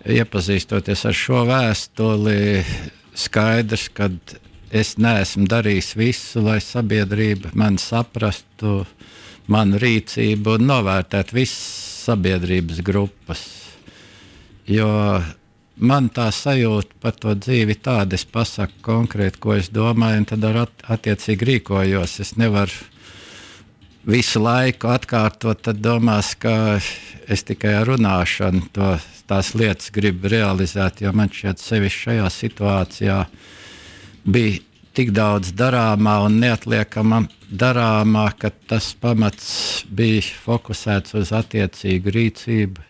iepazīstoties ar šo vēstuli, skaidrs, ka es neesmu darījis visu, lai sabiedrība mani saprastu, manu rīcību un novērtētu visas sabiedrības grupas. Jo man tā sajūta par to dzīvi tāda, es pasaku konkrēti, ko es domāju, un tad attiecīgi rīkojos. Es nevaru visu laiku atkārtot, tad domās, ka es tikai ar runāšanu tās lietas gribu realizēt, jo man šķiet sevišķi šajā situācijā bija tik daudz darāmā un neatliekama darāmā, ka tas pamats bija fokusēts uz attiecīgu rīcību.